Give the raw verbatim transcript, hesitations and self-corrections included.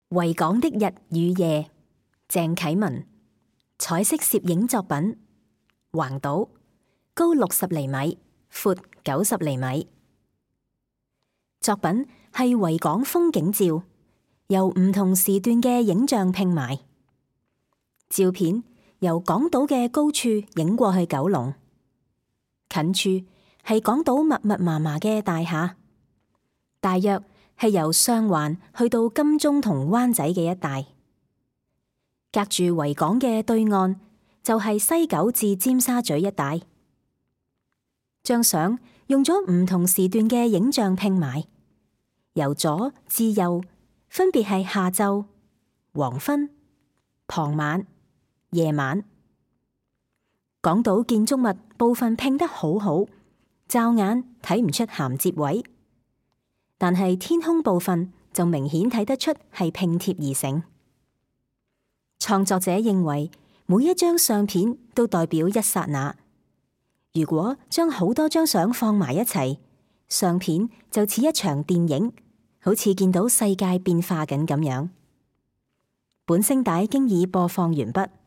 維港的日與夜，鄭啟文。彩色攝影作品，橫島，高六十厘米，闊九十厘米。作品係維港風景照，由唔同時段嘅影像拼埋。照片由港島嘅高處影過去九龍，近處係港島密密麻麻嘅大廈，大約係由上環去到金鐘同灣仔嘅一帶。隔住維港嘅對岸就係西九至尖沙咀一帶。張相用咗唔同時段嘅影像拼埋，由左至右分別係下晝、黃昏、傍晚、夜晚。港島建築物部分拼得好好，驟眼睇唔出銜接位，但係天空部分就明顯睇得出係拼貼而成。創作者認為每一張相片都代表一剎那，如果將好多張相放埋一齊，相片就似一場電影，好似見到世界變化緊咁樣。本聲帶經已播放完畢。